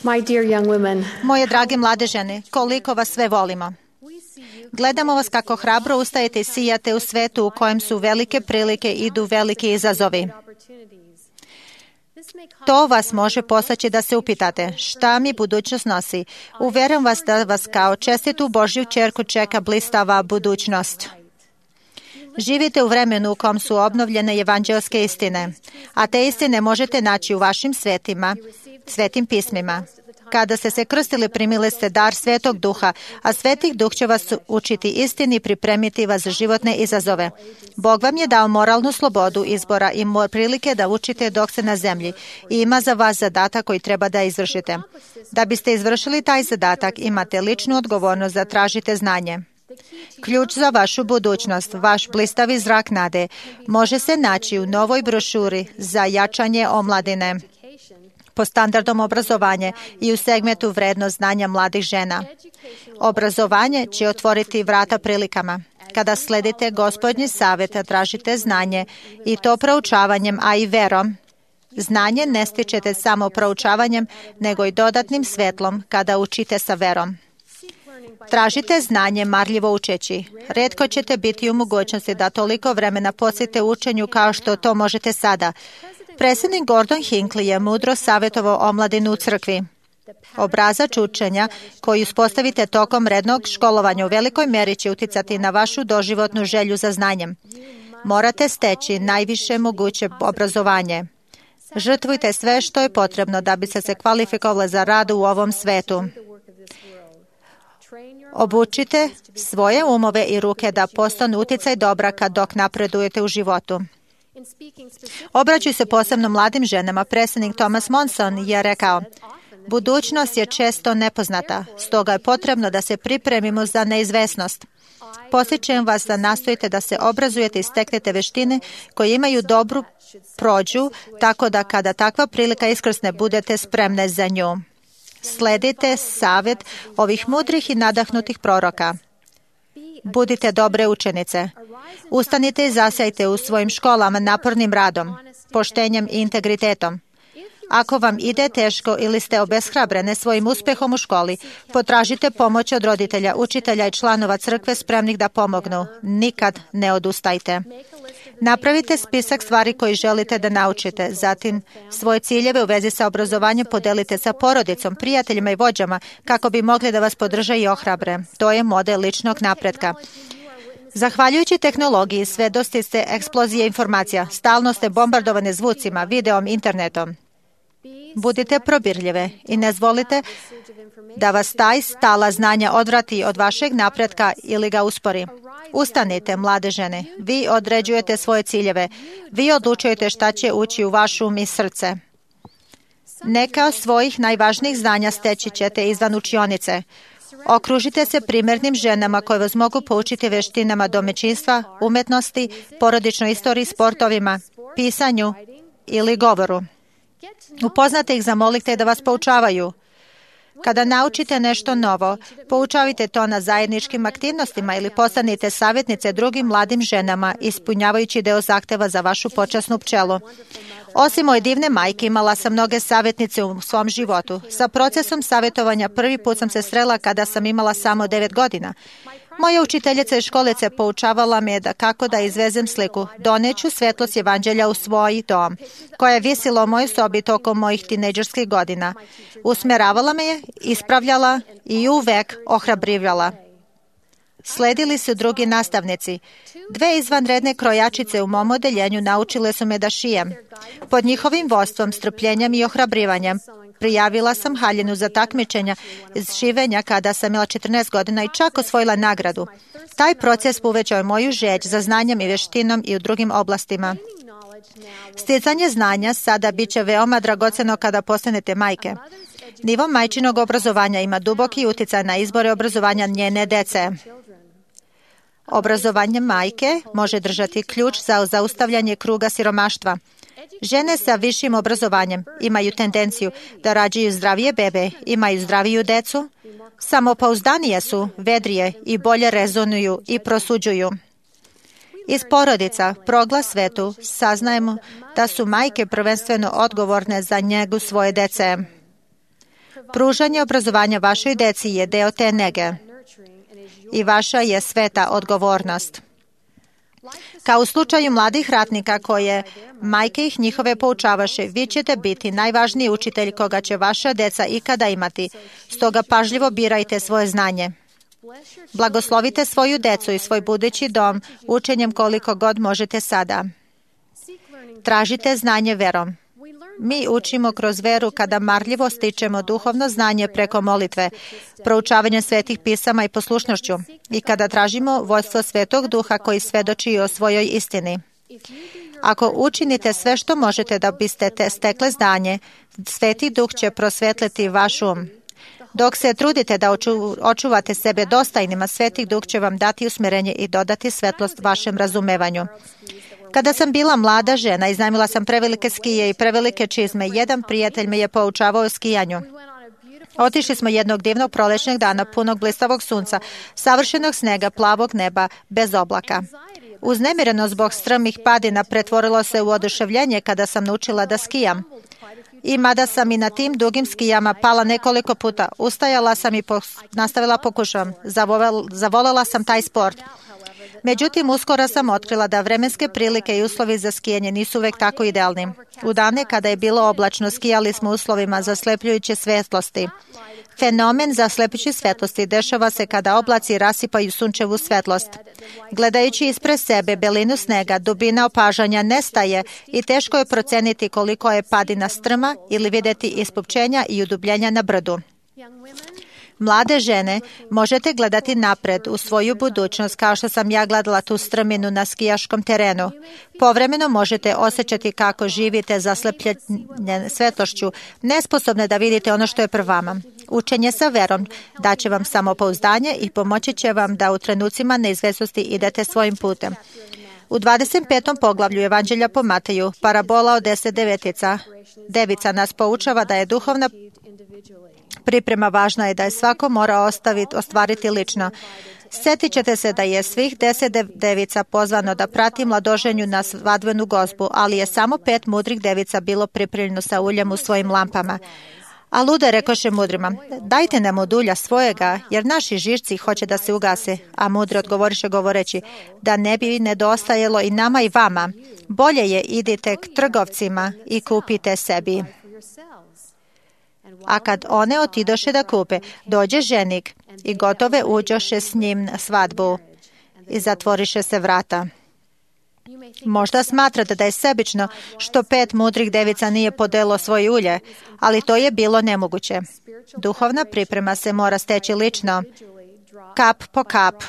My dear young women, Moje drage mlade žene, koliko vas sve volimo. Gledamo vas kako hrabro ustajete i sijate u svetu u kojem su velike prilike i idu veliki izazovi. To vas može postaći da se upitate šta mi budućnost nosi. Uvjerujem vas da vas kao čestitu Božju ćerku čeka blistava budućnost. Živite u vremenu u kom su obnovljene evanđelske istine, a te istine možete naći u vašim svetim pismima. Kada ste se krstili, primili ste dar Svetog Duha, a Svetih Duh će vas učiti istini i pripremiti vas za životne izazove. Bog vam je dao moralnu slobodu izbora i prilike da učite dok ste na zemlji i ima za vas zadatak koji treba da izvršite. Da biste izvršili taj zadatak, imate ličnu odgovornost da tražite znanje. Ključ za vašu budućnost, vaš blistavi zrak nade, može se naći u novoj brošuri za jačanje omladine po standardom obrazovanja i u segmentu vrednost znanja mladih žena. Obrazovanje će otvoriti vrata prilikama. Kada sledite Gospodnji savjet, tražite znanje i to proučavanjem, a i verom. Znanje ne stičete samo proučavanjem, nego i dodatnim svetlom kada učite sa verom. Tražite znanje marljivo učeći. Rijetko ćete biti u mogućnosti da toliko vremena posvetite učenju kao što to možete sada. Predsjednik Gordon Hinckley je mudro savjetovao omladinu u crkvi. Obrazač učenja koji uspostavite tokom rednog školovanja u velikoj mjeri će uticati na vašu doživotnu želju za znanjem. Morate steći najviše moguće obrazovanje. Žrtvujte sve što je potrebno da biste se kvalifikovali za rad u ovom svetu. Obučite svoje umove i ruke da postanu utjecaj dobra dok napredujete u životu. Obraćaju se posebno mladim ženama. Predsjednik Thomas Monson je rekao: budućnost je često nepoznata, stoga je potrebno da se pripremimo za neizvesnost. Podsjećam vas da nastojite da se obrazujete i steknete veštine koje imaju dobru prođu, tako da kada takva prilika iskrsne budete spremne za nju. Sledite savjet ovih mudrih i nadahnutih proroka. Budite dobre učenice. Ustanite i zasjajte u svojim školama napornim radom, poštenjem i integritetom. Ako vam ide teško ili ste obeshrabrene svojim uspjehom u školi, potražite pomoć od roditelja, učitelja i članova crkve spremnih da pomognu. Nikad ne odustajte. Napravite spisak stvari koje želite da naučite. Zatim, svoje ciljeve u vezi sa obrazovanjem podelite sa porodicom, prijateljima i vođama kako bi mogli da vas podrže i ohrabre. To je model ličnog napretka. Zahvaljujući tehnologiji, svedoci ste eksplozije informacija. Stalno ste bombardovane zvucima, videom, internetom. Budite probirljive i ne zvolite da vas taj stala znanja odvrati od vašeg napretka ili ga uspori. Ustanite, mlade žene. Vi određujete svoje ciljeve. Vi odlučujete šta će ući u vaš um i srce. Neka od svojih najvažnijih znanja steći ćete izvan učionice. Okružite se primjernim ženama koje vas mogu poučiti veštinama domaćinstva, umetnosti, porodičnoj istoriji, sportovima, pisanju ili govoru. Upoznate ih, zamolite da vas poučavaju. Kada naučite nešto novo, poučavajte to na zajedničkim aktivnostima ili postanite savjetnice drugim mladim ženama, ispunjavajući deo zahteva za vašu počasnu pčelu. Osim moje divne majke, imala sam mnoge savjetnice u svom životu. Sa procesom savjetovanja prvi put sam se srela kada sam imala samo 9 godina. Moja učiteljica iz školice poučavala me kako da izvezem sliku. Doneću svetlost evanđelja u svoj dom, koja je visila u mojoj sobi tokom mojih tinejdžerskih godina. Usmjeravala me je, ispravljala i uvek ohrabrivala. Sledili su drugi nastavnici. 2 izvanredne krojačice u mom odeljenju naučile su me da šijem. Pod njihovim vodstvom, strpljenjem i ohrabrivanjem prijavila sam haljinu za takmičenja iz šivenja kada sam imala 14 godina i čak osvojila nagradu. Taj proces povećao je moju želj za znanjem i veštinom i u drugim oblastima. Stjecanje znanja sada bit će veoma dragoceno kada postanete majke. Nivo majčinog obrazovanja ima duboki utjecaj na izbore obrazovanja njene dece. Obrazovanje majke može držati ključ za zaustavljanje kruga siromaštva. Žene sa višim obrazovanjem imaju tendenciju da rađaju zdravije bebe, imaju zdraviju decu, samopouzdanije su, vedrije i bolje rezonuju i prosuđuju. Iz porodica, proglas svetu, saznajemo da su majke prvenstveno odgovorne za njegu svoje dece. Pružanje obrazovanja vašoj deci je deo te nege i vaša je sveta odgovornost. Kao u slučaju mladih ratnika koje majke ih njihove poučavaše, vi ćete biti najvažniji učitelj koga će vaša deca ikada imati. Stoga pažljivo birajte svoje znanje. Blagoslovite svoju decu i svoj budući dom učenjem koliko god možete sada. Tražite znanje verom. Mi učimo kroz veru kada marljivo stičemo duhovno znanje preko molitve, proučavanja svetih pisama i poslušnošću i kada tražimo vođstvo Svetog Duha koji svedoči o svojoj istini. Ako učinite sve što možete da biste stekle znanje, Sveti Duh će prosvetliti vaš um. Dok se trudite da očuvate sebe dostajnima, Sveti Duh će vam dati usmjerenje i dodati svetlost vašem razumevanju. Kada sam bila mlada žena, iznajmila sam prevelike skije i prevelike čizme. Jedan prijatelj me je poučavao o skijanju. Otišli smo jednog divnog prolećnog dana, punog blistavog sunca, savršenog snega, plavog neba, bez oblaka. Uznemireno zbog strmih padina pretvorilo se u oduševljenje kada sam naučila da skijam. I mada sam i na tim dugim skijama pala nekoliko puta, ustajala sam i nastavila pokušavam. Zavolela sam taj sport. Međutim, uskoro sam otkrila da vremenske prilike i uslovi za skijanje nisu uvek tako idealni. U dane kada je bilo oblačno, skijali smo uslovima zaslepljujuće svetlosti. Fenomen zaslepljujuće svetlosti dešava se kada oblaci rasipaju sunčevu svetlost. Gledajući ispred sebe belinu snega, dubina opažanja nestaje i teško je proceniti koliko je padina strma ili vidjeti ispupčenja i udubljenja na brdu. Mlade žene, možete gledati napred u svoju budućnost kao što sam ja gledala tu strminu na skijaškom terenu. Povremeno možete osjećati kako živite zaslepljene svetlošću, nesposobne da vidite ono što je pred vama. Učenje sa verom daće vam samopouzdanje i pomoći će vam da u trenucima neizvesnosti idete svojim putem. U 25. poglavlju Evanđelja po Mateju, parabola od 10 devica nas poučava da je duhovna priprema važna je da je svako mora ostvariti lično. Sjetit ćete se da je svih 10 devica pozvano da prati mladoženju na svadbenu gozbu, ali je samo 5 mudrih devica bilo pripremljeno sa uljem u svojim lampama. A lude rekoše mudrima, dajte nam od ulja svojega, jer naši žišci hoće da se ugase. A mudri odgovoriše govoreći, da ne bi nedostajalo i nama i vama. Bolje je idite k trgovcima i kupite sebi. A kad one otidoše da kupe, dođe ženik i gotove uđoše s njim na svadbu i zatvoriše se vrata. Možda smatrate da je sebično što 5 mudrih devica nije podelo svoje ulje, ali to je bilo nemoguće. Duhovna priprema se mora steći lično, kap po kap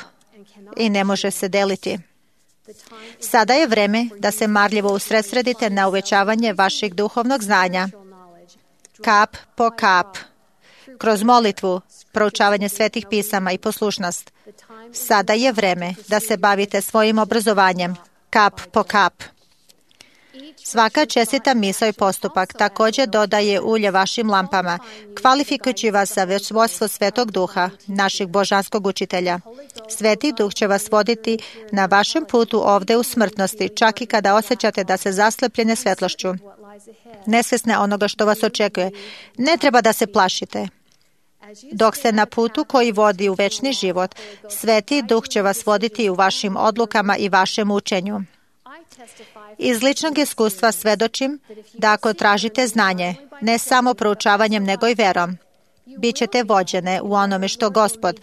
i ne može se deliti. Sada je vreme da se marljivo usredsredite na uvećavanje vašeg duhovnog znanja. Kap po kap, kroz molitvu, proučavanje svetih pisama i poslušnost. Sada je vreme da se bavite svojim obrazovanjem, kap po kap. Svaka čestita misao i postupak također dodaje ulje vašim lampama, kvalifikujući vas za vodstvo Svetog Duha, našeg božanskog učitelja. Sveti Duh će vas voditi na vašem putu ovde u smrtnosti, čak i kada osjećate da se zaslepljene svetlošću. Nesvesne onoga što vas očekuje. Ne treba da se plašite. Dok ste na putu koji vodi u večni život, Sveti Duh će vas voditi u vašim odlukama i vašem učenju. Iz ličnog iskustva svedočim da ako tražite znanje, ne samo proučavanjem nego i verom, bit ćete vođene u onome što Gospod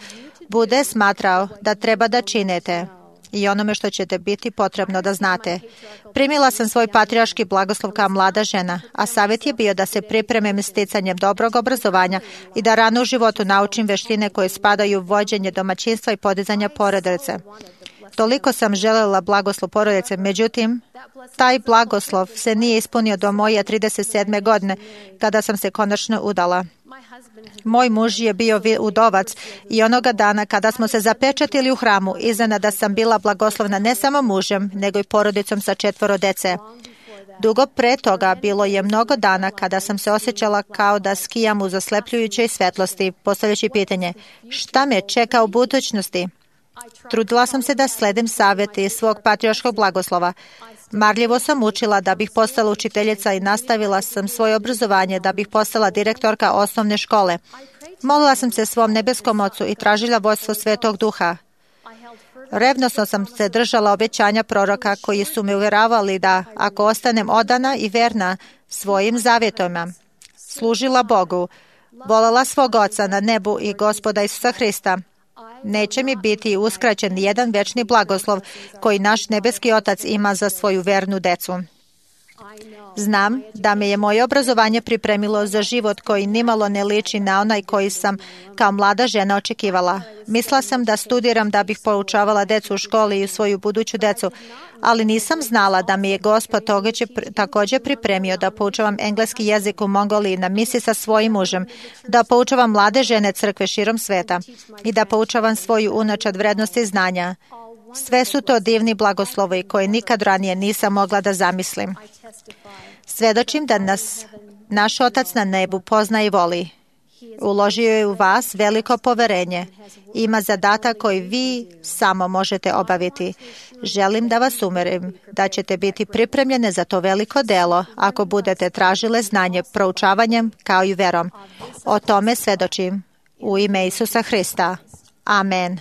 bude smatrao da treba da činete i onome što ćete biti potrebno da znate. Primila sam svoj patrijarški blagoslov kao mlada žena, a savjet je bio da se pripremim sticanjem dobrog obrazovanja i da rano u životu naučim veštine koje spadaju u vođenje domaćinstva i podizanja porodice. Toliko sam željela blagoslov porodice, međutim, taj blagoslov se nije ispunio do moje 37. godine, kada sam se konačno udala. Moj muž je bio udovac i onoga dana kada smo se zapečatili u hramu, iznenada sam bila blagoslovna ne samo mužem, nego i porodicom sa 4 dece. Dugo pre toga bilo je mnogo dana kada sam se osjećala kao da skijam u zaslepljujućoj svetlosti, postavljajući pitanje, šta me čeka u budućnosti? Trudila sam se da sledim savjete iz svog patrijarškog blagoslova. Marljivo sam učila da bih postala učiteljica i nastavila sam svoje obrazovanje da bih postala direktorka osnovne škole. Molila sam se svom nebeskom Ocu i tražila vodstvo Svetog Duha. Revnosno sam se držala obećanja proroka koji su me uvjeravali da ako ostanem odana i verna svojim zavjetovima, služila Bogu, voljela svog Oca na nebu i Gospoda Isusa Hrista, neće mi biti uskraćen jedan večni blagoslov koji naš nebeski Otac ima za svoju vernu decu. Znam da me je moje obrazovanje pripremilo za život koji nimalo ne liči na onaj koji sam kao mlada žena očekivala. Mislila sam da studiram da bih poučavala decu u školi i svoju buduću decu, ali nisam znala da mi je Gospod također pripremio da poučavam engleski jezik u Mongoliji na misiji sa svojim mužem, da poučavam mlade žene crkve širom sveta i da poučavam svoju unučad vrednosti znanja. Sve su to divni blagoslovi koje nikad ranije nisam mogla da zamislim. Svedočim da nas naš Otac na nebu pozna i voli. Uložio je u vas veliko poverenje. Ima zadatak koji vi samo možete obaviti. Želim da vas umerim da ćete biti pripremljene za to veliko delo ako budete tražile znanje proučavanjem kao i verom. O tome svedočim u ime Isusa Hrista. Amen.